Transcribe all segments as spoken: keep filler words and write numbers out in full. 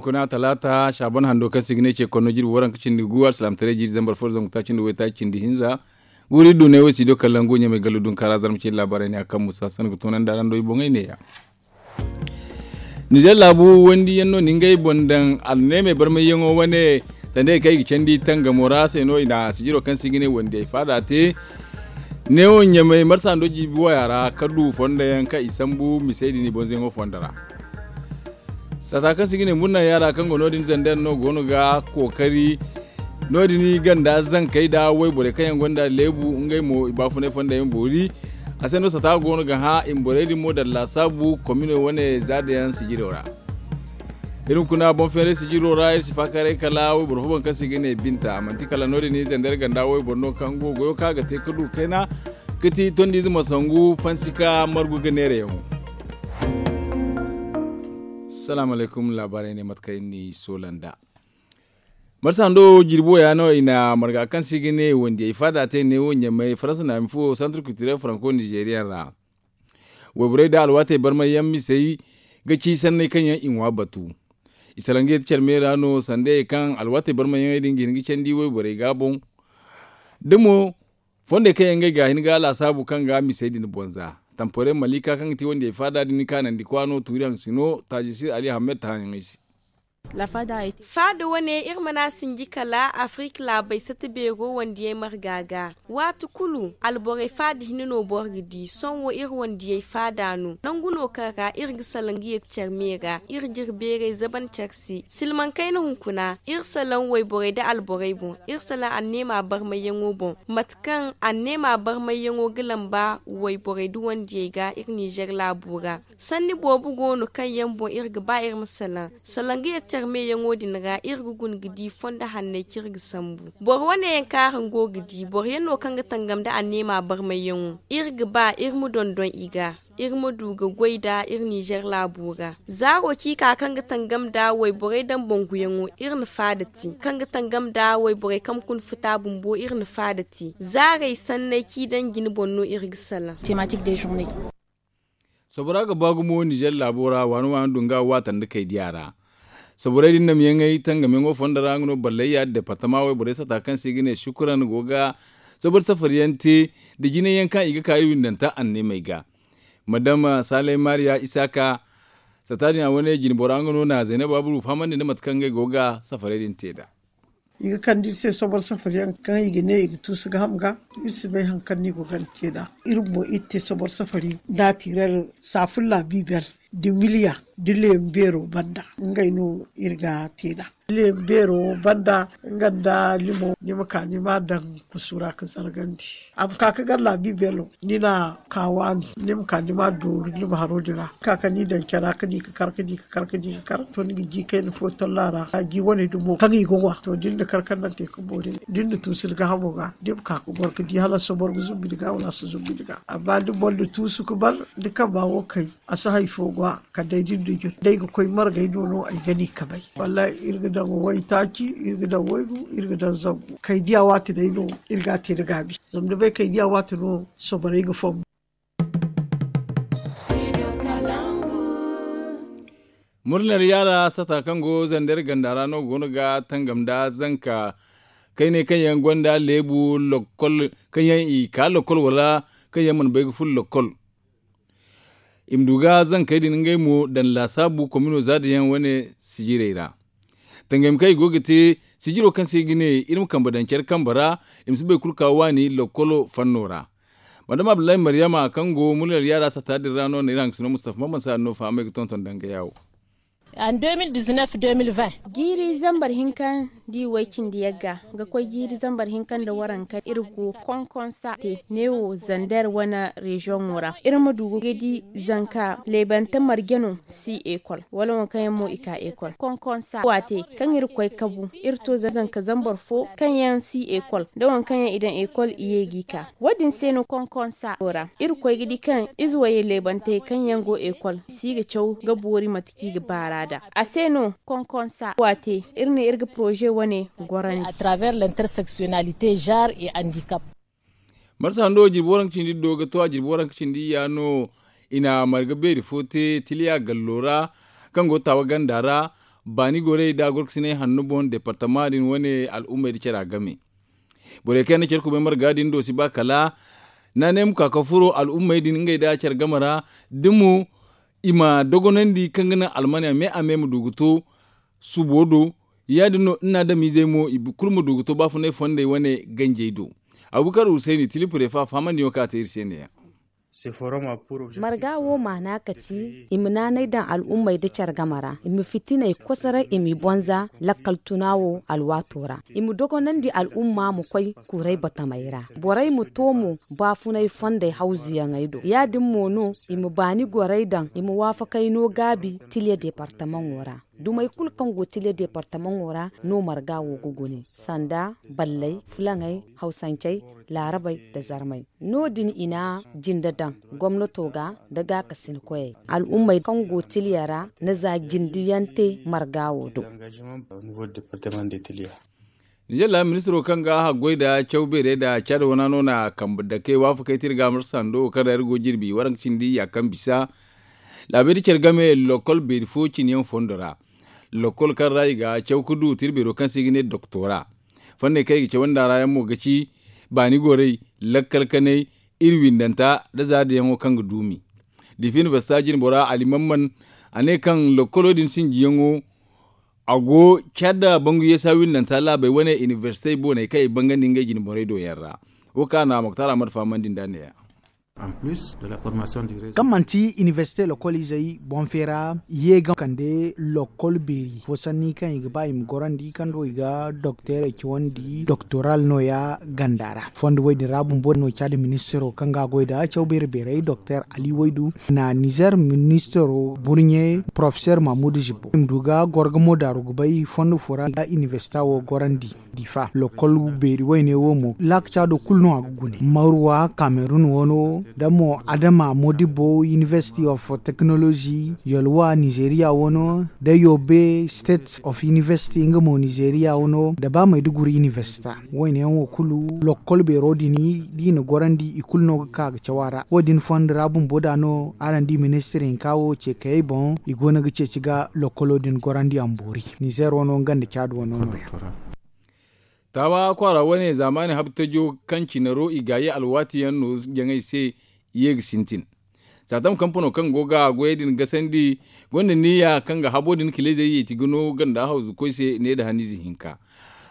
Kuna talaata saaban hando kaŋ se i ga ne ce konno jirbi waranka cindi gu alsilaamataray jiiri zambar fo da zangu taaci nda waytaaci cindi hinza. Guuri du ne wo si do kala nga wo ɲamay gallo dunkaara zarma cindi laabaarey ne a kaŋ musa sanda ga toonandi araŋ do i boŋey ne-ya. Nizer laabu wandiyaŋ no na ngey boŋ daŋ alneemey barmayyaŋo wane. Sanda i kaŋ i ga candi tangamo ra se no i na sijiro kaŋ se i ga ne wandiyey faada te. Neewo ɲamay marsa hando jiibi waya ra ka du fondo yaŋ kaŋ i sambu misey din i bonzayaŋo fondo ra. Saata kaŋ se i ga ne murna yaara kaŋ go no- din zander no go no ga kookari. No- din ganda zankey nda wayborey kaŋ yaŋ gonda leebu ngey mo i baafunay fondo yaŋ boori. A se no saata go no ga hã i ma borey din mo daŋ laasaabu komino wane zaada yaŋ sijiro ra. Iri ma kuna boŋ feeray sijiro ra iri si faakaaray kala wayboro fo boŋ kaŋ se i ga ne binta manti kala no- din zander ganda wayboro no kaŋ go goyo kaŋ a ga te ka du kayna. Ga ti tondiize ma sangu fansika margu ga neerayaŋo. Salaamu alaykum laabaarey ne mate kaŋ iri n'i soola nd'a. Marsa hando jirbo ya no i na marga kaŋ se i ga ne wandiyey faada te neewo ɲamay faransa naami fo santar kulturel faranko nizeeriya ra. Wayborey nda alwaatey barmayyaŋ misey ga ci sanney kaŋ yaŋ i ŋwa batu. I salaŋ ga yeti care me ra no sanda ye kaŋ alwaatey barmayyaŋey din ga hin ga candi wayborey ga boŋ. Da mo fondey kaŋ yaŋ ngey ga hin ga laasaabu kaŋ ga misey din bonza. Tampore malika kaŋ ga ti wandiyey faada din kaanandi kwaano tuuri haŋ sino taajisir ali ahamed ta haŋyaŋey se. Faada wane iri mana sinji kala afirik laabey sata beero wandiyey marga ga. Waati kulu alborey faada hinne no boro ga di sohõ iri wandiyey faada no nangu no kaŋ ra iri ga salaŋ ga yeti care me ra iri jire beerey zaban care se silmaŋ kayna hunkuna iri salaŋ wayborey nda alborey boŋ iri salaŋ anneema barmayyaŋo boŋ mate kaŋ anneema barmayyaŋo ga lamba wayborey nda wandiyey ga iri nizer laabo ra. Sanni boobo go no kaŋ yaŋ boŋ iri ga ba iri ma salaŋ salaŋ ga yeti care meyaŋo din ra iri ga guna ga di fondo hanney kaŋ iri ga sambu. Boro wane yaŋ kaŋ araŋ go ga di boro yaŋ no kaŋ ga tangam nda anneema barmayyaŋo iri ga ba iri ma dondon i ga iri ma du ga goy nda iri nizer laabo ra. Zaaro ciika kaŋ ga tangam nda wayborey daŋ banguyaŋo iri na faada te kaŋ ga tangam nda wayborey kaŋ ga kuna futa bumbo iri na faada te zaarey sanney kaŋ i daŋ jine boŋ no iri ga salaŋ. Sobora ga ba gumo nizer laabo ra waani waani du nga waata nda kaydiya ra. Soborey din namyaŋey tangamyaŋo fondo ra nga no ballayya departama wayborey sata kaŋ se i ga ne sukuran go ga sobor safari yaŋ te nda jinay yaŋ kaŋ i ga ka iri windanta anneemey ga. Madama saley mariya isaaka sata din a wane jinbora nga no na zaynaba buru fahamandi nda mate kaŋ ngey go ga safarey din te nd'a. I ga kande iri se sobor safari yaŋ kaŋ i ga ne i ga tuusu ga ham ga iri si bay hari kaŋ no i go ga ni te nd'a. Iri bumbo iri te sobor safari nda tirer saafulla bibel nda miliya nda leemu beero banda ngey no iri ga te nd'a. Leemu beero banda nga nda limo ni ma ka ni ma a daŋ kusu ra ga zargandi. A ma ka ga gar laabi beelo ni na ka waani ni ma ka ni ma a dooru ni ma haro din ra ka ka ni daŋ care ra ka di ga kar ka di ga kar ka di ga kar to ni ga ji kayna fo tolla ra a ji wane dumo kaŋ i ga ŋwa to da ni na kar kaŋ naŋ te ga boori da ni na tuusu ni gaahamo ga da ni ma ka ga goro ga di hala a si boro ga zumbu ni ga wala a si zumbu ni ga amma da boro na tuusu ga bar ni kamba wo kay. A si hari fo ga kala day da ni na jun da ay ga koy margay no no ay ga ni kabay. Wallahi iri ga daŋ waytaaci iri ga daŋ waygu iri ga daŋ zangu kay diya waati day no iri ga a te nda gaabi. Zama ni bay kay diya waati no soborey ga fombu. Murnar yaara sata kaŋ go zander ganda ra no go no ga tangam nda zanka kayney kaŋ yaŋ gonda leebu lokkol kaŋ yaŋ i ka lokkol wala kaŋ yaŋ mana bay ga furo lokkol. I ma du ga zankey din ngey mo daŋ laasaabu komino zaada yaŋ wane sijirey ra. Tangey ma kaŋ i go ga te sijiro kaŋ se i ga ne iri ma kambe daŋ care kambe ra. I ma si boro kulu ka waani lokkolo fanno ra. Madama abdullahi maryama kaŋ go muryar yaara sata din ra no na iri haŋ ga sino mustafa maman saari no fahamay ga tonton danga yaawo. Jiiri zambar hinka nda i way cindi yagga ga koy jiiri zambar hinka nda waranka iri go konkonsa te neewo zander wane reziyoŋo ra iri ma du ga di zanka leebante marje no si ekol wala waŋ kaŋ yaŋ mo i ka ekol konkonsa waate kaŋ iri koy kabu iri to zanka zambar fo kaŋ yaŋ si ekol nda waŋ kaŋ yaŋ i daŋ ekol i ye g'i ka. Wo- din se no konkonsa ra iri koy ga di kaŋ ize wayey leebantey kaŋ yaŋ go ekol si ga caw ga boori mate kaŋ i ga baara nd'a. A se no konkonsa waate iri ne iri ga poroze wane gorandi. Marsa hando jirbi waranka cindi do ga to a jirbi waranka cindi ya no i na marga beeri fo te tiliya gallo ra kaŋ go taawa ganda ra. Baani gorey da gorkasiney hanno boŋ departama din wane al'ummey da cara game. Borey kaŋ yaŋ na care kubay marga din do si ba kala naanay ma ka ka furo al'ummey din ngey da care game ra, da mo i ma dogonandi kaŋ ga naŋ almaniya me a me ma du ga to subo do. Ya- din no ni na adamizey mo i kulu ma du ga to baafunay fondey wane ganjey do. Abubakar husayni tilipurefa fahamandiyaŋo kaŋ a te iri se ne- yaŋ. Marga wo maana kati i ma naanay daŋ al'ummey da care game ra, i ma fitiney kosoray, i m'i bonza lakkal tuna wo alwaato ra, i ma dogonandi al'umma ma koy kuuray batamey ra. Borey ma to mo baafunay fondey hawzuyaŋey do. Ya-din mo no i ma baani gorey daŋ, i ma waafakay no gaabi tiliya departamaŋo ra. Dumey kulu kaŋ go tiliya departamaŋo ra no marga wo ga gune, sanda balley, fulaŋey, hawsancey, laarabey, nda zarmey. No- din i na jinde daŋ gomnato ga nda gaakasinkoyey. Al'ummey kaŋ go tiliya ra na za jindiyaŋ te marga wo do. Nizer laami ministiro kaŋ ga haggoy nda caw beerey nda caada wana no na kambe dakey waafakey te iri ga marsa hando wo kaŋ ra iri go jirbi waranka cindi ya kaŋ bisa laabey da care game lokol beeri fo cine yaŋ fondo ra. Lokol kaŋ ra i ga caw ga du te iri beero kaŋ se i ga ne doktora. Fanney kaŋ i ga cawandi a ra yaŋ mo ga ci baani gorey, lakkal kanay, iri windanta nda zaadayaŋo kaŋ ga duumi. Diifa inibersita jinbora ali mamman a ne kaŋ lokkolo din sinjiyaŋo a go care nda bangu yeesa windanta laabey wane inibersitey booney kaŋ i bangandi ngey jinborey do yaŋ ra. Wo kaŋ a na moktar ahmad fahamandi nd'a ne- ya. Kaŋ manti inibersite lokol izey boŋ feera i ye ga kande lokol beeri fo sanni kaŋ i ga ba i ma gorandi kaŋ do i ga dokteerey cawandi doktoral nooya ganda ra. Fondo wo- din ra bumbo no caada ministiro kaŋ ga a goy nda caw beeri beerey dokteer ali waydu na nizer ministiro burɲe porofeseer mamudu zibbo i ma du ga goro ga mo daaru ga bay fondo fo ra ga inibersita wo gorandi. Diifa lokol beeri wayne wo mo laakaca do kulu no a ga gune marwa kamerun wano da mo adama modibo university of technology yolwa nizeeriya wano da yobe state of university nga mo nizeeriya wano da ba maiduguri university. Wayne yaŋ wo kulu lokol beero din da i na gorandi i kulu no ga ka ga caw a ra wo- din fondo ra bumbo da no araŋ di ministir hinka wo ce kayey boŋ i go no ga ceeci ga lokolo din gorandi a ma boori. Nizer wano nga nda caadi wano no- ya. Taawa kwaara wane zaamaani habtajo kaŋ cine ro i gaayi alwaati yaŋ nooru jaŋey se i ye ga sintin. Saatam kampano kaŋ go ga goyey din gasandi gonda niyya kaŋ ga habo din kaleezey yeeti ga no ganda hawzukoy se ne nda haniize hinka.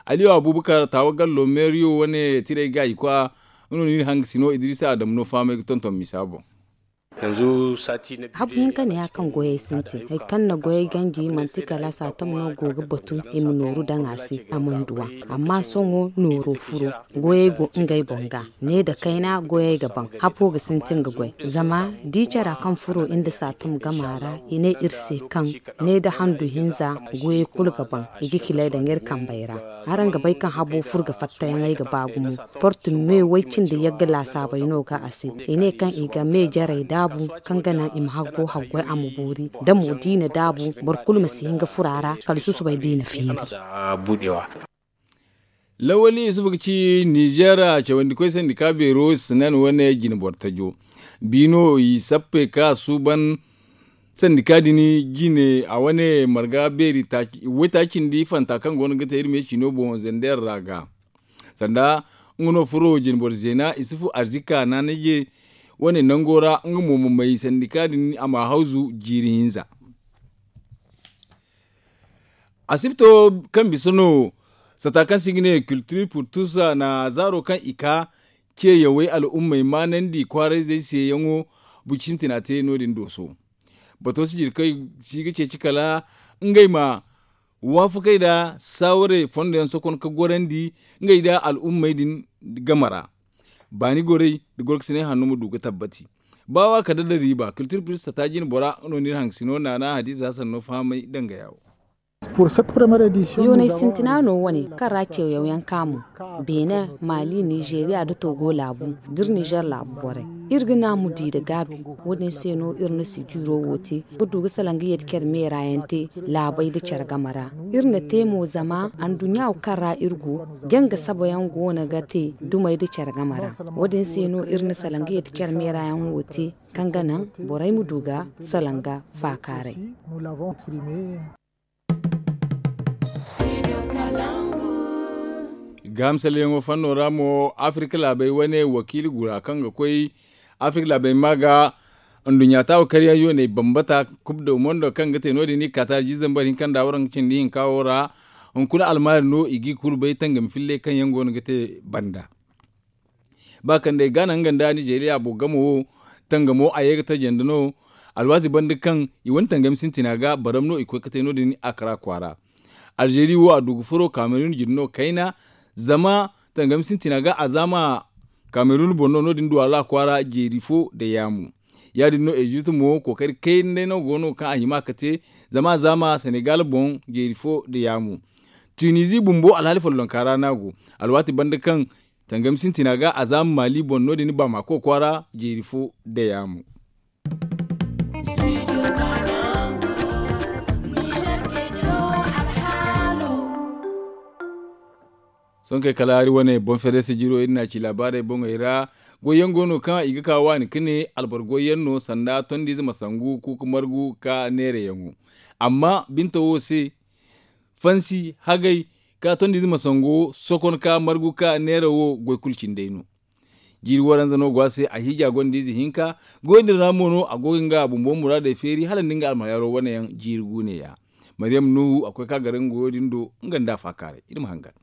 Aliyo abubakar taawa gallo meeriyo wane tirey gaayi kwa nga no ni na hanga sino idrisa adamu no fahamay ga tonton misa boŋ. Habu hinka ne ya kaŋ goyey sintin hari kaŋ na goyey ganji manti kala saatam no go ga batu i ma nooru daŋ a se a mana duw'a. Amma sohõ nooro furo goyey go ngey boŋ ga ne nda kayna goyey ga baŋ hapo ga sintin ga goy. Zama da i cara kaŋ furo nda saatam gama ra i ne iri se kaŋ ne nda handu hinza goyey kulu ga baŋ i ga kilay daŋ iri kambey ra. Araŋ ga bay kaŋ habo furo ga fattayaŋey ga ba gumo. Portu me way cindi yagga laasaabey no ga a se i ne kaŋ i ga me jarey daabu kaŋ ga naŋ i ma haggo haggoy a ma boori da mo da i na daabu boro kulu ma si hin ga furo a ra kala susubay da i na feeri. Lawali yusufu ga ci nizeera cawandikoy sandika beero sinan wane jine boro tajo biino i sappe ka suuban sandika din jine a wane marga beeri way taacindi fanta kaŋ go no ga te iri me ciino boŋ zender ra ga sanda nga no furo jinboro zeena isufu arzika naanaje wane nango ra nga mo ma may sandika din a ma hawzu jiiri hinza. Asibto kaŋ bisa no sata kaŋ se i ga ne culture pour tous na zaaro kaŋ i ka ceeyawey al'ummey maanandi kwaarayzey seeyaŋo buci sintina te no- din dooso. Bato si jirkey si ga ceeci kala ngey ma waafakey nda saawarey fondo yaŋ sokon ka gorandi ngey nda al'ummey din game ra. Baani gorey nda gorkasiney hanno ma du ga tabbati ba wa kala da riiba culture plus sata jine bora nga no ni iri haŋ sino naana hadiza sanno fahamay danga yaawo. Yoonay sintina no wane kaŋ ra ceeyaw yaŋ kaamu beene, maali, nizeeriya nda togo laabu da iri nizer laabu borey. Iri ga naamu di nda gaabi wo- din se no iri na sijiro wo te ga du ga salaŋ ga yadda care meera yaŋ te laabey nda care game ra. Iri na te mo zama anduɲɲa wo kaŋ ra iri go janga saba yaŋ go no ga te dumey nda care game ra. Wo- din se no iri na salaŋ ga yadda care meera yaŋ wo te kaŋ ga naŋ borey ma du ga salaŋ ga faakaaray. Gahamsalyaŋo fanno ra mo, afirka laabey wane wakiili gura kaŋ ga koy afirka laabey ma ga nduɲɲa taawa karyaŋ yooney bambata kub do mondo kaŋ ga te no- din i ga ka taali jiizambar hinka nda waraŋ cindi hinka wo ra. Hunkuna almaari no i g'i kulu bay tangam filley kaŋ yaŋ go no ga te banda. Ba kaŋ day gaana nga nda nizeeriya boro gamo wo, tangamo a ye ga tajandi no. Alwaati banda kaŋ i wane tangami sintina ga baram no i koy ga te no- din a kara kwaara. Alzeeri wo a du ga furo kamerun jine no kayna. Zama tangami sintina ga a zaama kamerun boŋ no no- din duwala kwaara jeeri fo nda yaamu. Ya- din no ezipt mo kookari kayna day no go no kaŋ a hima ga te. Zama a zaama senegal boŋ jeeri fo nda yaamu. Tunizi bumbo alhaali follonka ra no a go. Alwaati banda kaŋ tangami sintina ga a zaama maali boŋ no- din baamako kwaara jeeri fo nda yaamu. Sohõ kay kala hari wane boŋ fereese jiro iri n'a ci laabaarey boŋey ra. Goyyaŋ go no kaŋ i ga ka waani ka ne alboro goyyaŋ no sanda tondiize ma sangu kuuka margu ka neerayaŋo. Amma binta wo se fansi hagay ka tondiize ma sango sokon ka margu ka neera wo goy kulu cindey no. Jiiri waranza no go a se a hiija gonda ize hinka. Goy din ra mo no a go ga nga bumbo muraadey feeri hala nda nga almahayaaro wane yaŋ jiiri guune ya. Maryam nuhu a koy ka garaŋ goyo din do nga nda a faakaaray iri ma hangan.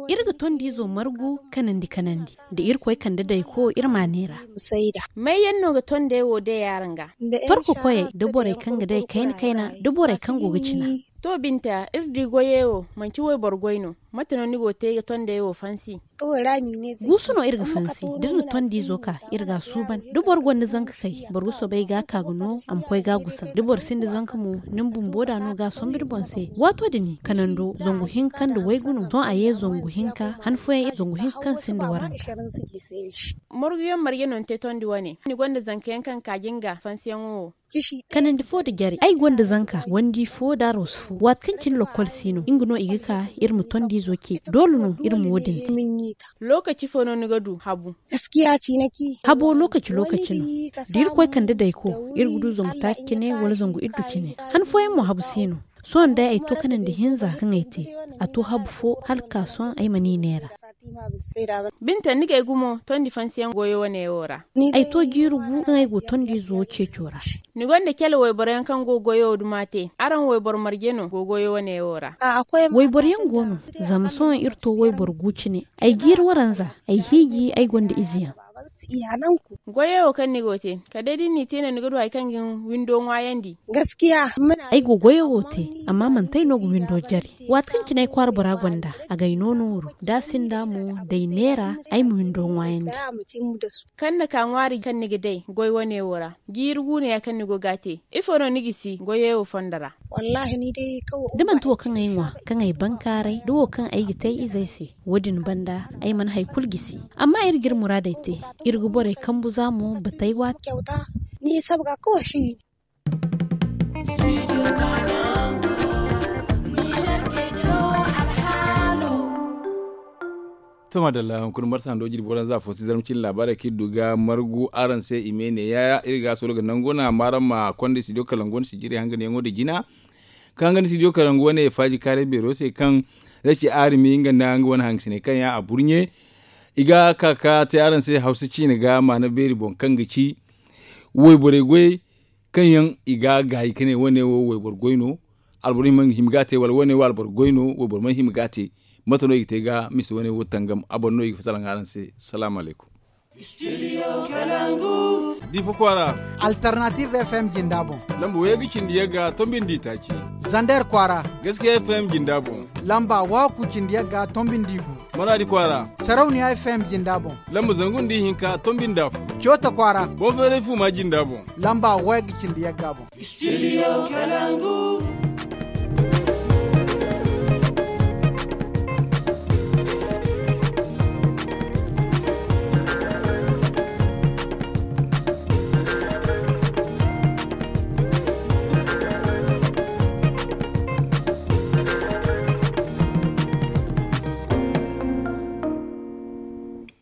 Iri ga tondiizo margu kanandi kanandi da irkoy kande dayko iri ma a neera. May yaŋ no ga tondey wo day araŋ ga? Torko koyey da borey kaŋ ga day kayna kayna da borey kaŋ go ga cina. To binta iri di goyey wo manci wayboro goy no. Mate no ni go ga te ga tondey wo fansi? Guusu no iri ga fansi da iri na tondiizo ka iri ga a suuban da boro gonda zanka kay boro ga soobay ga a ka ga no a ma koy ga a gusan da boro sinda zanka mo. Ni ma bumbo da no ga a sombu ni boŋ se waato din kanando zangu hinka nda waygu no sohõ a ye zangu hinka han fooyaŋ zangu hinka kaŋ sinda waranka. Marguyaŋ marje no ni te tondi wane ni gonda zanka yaŋ kaŋ ga ka jinga fansiyaŋo wo? Kanandi fo nda jare ay gonda zanka wandi fo nda aroosu fo waati kaŋ cine lokkol si no nga no i ga ka iri ma tondiizo ce doole no iri ma wo- din te. Lookaci fo no ni ga du habu? Habo lookaci lookaci no da iri koy kande dayko iri ga du zangu taaci cine wala zangu iddu cine. Han fooyaŋ mo habu si no. Sohõ day ay to kanandi hinza kaŋ ay te a to habu fo hala ga ka sohõ ay mana i neera. Binta ni ga ay gumo tondi fansiyaŋ goyo wane wo ra? Ay to jiiri gu kaŋ ay go tondiizo ceeco ra. Ni gonda cale wayboro yaŋ kaŋ go goyo duma te araŋ wayboro marje no go goyo wane wo ra? Wayboro yaŋ go no. Zama sohõ iri to wayboro gu cine ay jiiri waranza ay hiiji ay gonda ize yaŋ. Goyo wo kaŋ ni go te kala day da ni n'i te no ni ga du hari kaŋ ga ni windo ŋwaayandi? Ay go goyo wo te amma manti ay no ga windo jare. Waati kaŋ cine ay kwaara bora gonda a ga ay no nooru da a sinda mo da ay neera ay ma windo ŋwaayandi. Kaŋ ni ka ŋwaari kaŋ ni ga day goy wane wo ra jiiri guuneya kaŋ ni go ga a te ifo no ni gisi goyey wo fondo ra? Da manti wo kaŋ ay ŋwa kaŋ ay bankaaray da wo kaŋ ay ga te ay izey se wo- din banda ay mana hari kulu gisi. Amma iri ga iri muraadey te iri ga borey kambu za mo batey waati. To maadalla hunkuna marsa hando jirbi waranza fo si zarma cine laabaarey kaŋ iri du ga margu araŋ se i me ne yaayaŋ iri ga a soro ga nangu no a ma araŋ ma konda studio kalangu wane sijiri hanganyaŋo nda jina. Kaŋ ga ni studio kalangu wane faaji kaaray beero se kaŋ zaci aarimi nga nda nga wane hangasiney kaŋ yaŋ a burɲe. I ga ka ga te araŋ se hawsa ciine ga maana beeri boŋ kaŋ ga ci wayborey goyey kaŋ yaŋ i ga a gaayi ka ne wane wo wayboro goy no. Alboro hima ga a te wala wane wo alboro goy no wayboro mana hima ga a te. Mate no i ga te ga mise wane wo tangam a boŋ no i ga fatta laŋ araŋ se. Salaamu alaykum. Difa kwaara. Alternative fm jinda boŋ. Lamba wayga cindi yagga tombindi taaci. Zander kwaara. Gaskiya fm jinda boŋ. Lamba waaku cindi yagga tombindi gu. Maradi kwaara. Sarauniya fm jinda boŋ. Lamba zangu nda ihinka tombinda fu. Coota kwaara. Boŋ feeray fu ma jinda boŋ. Lamba wayga cindi yagga boŋ. Studio kalangu.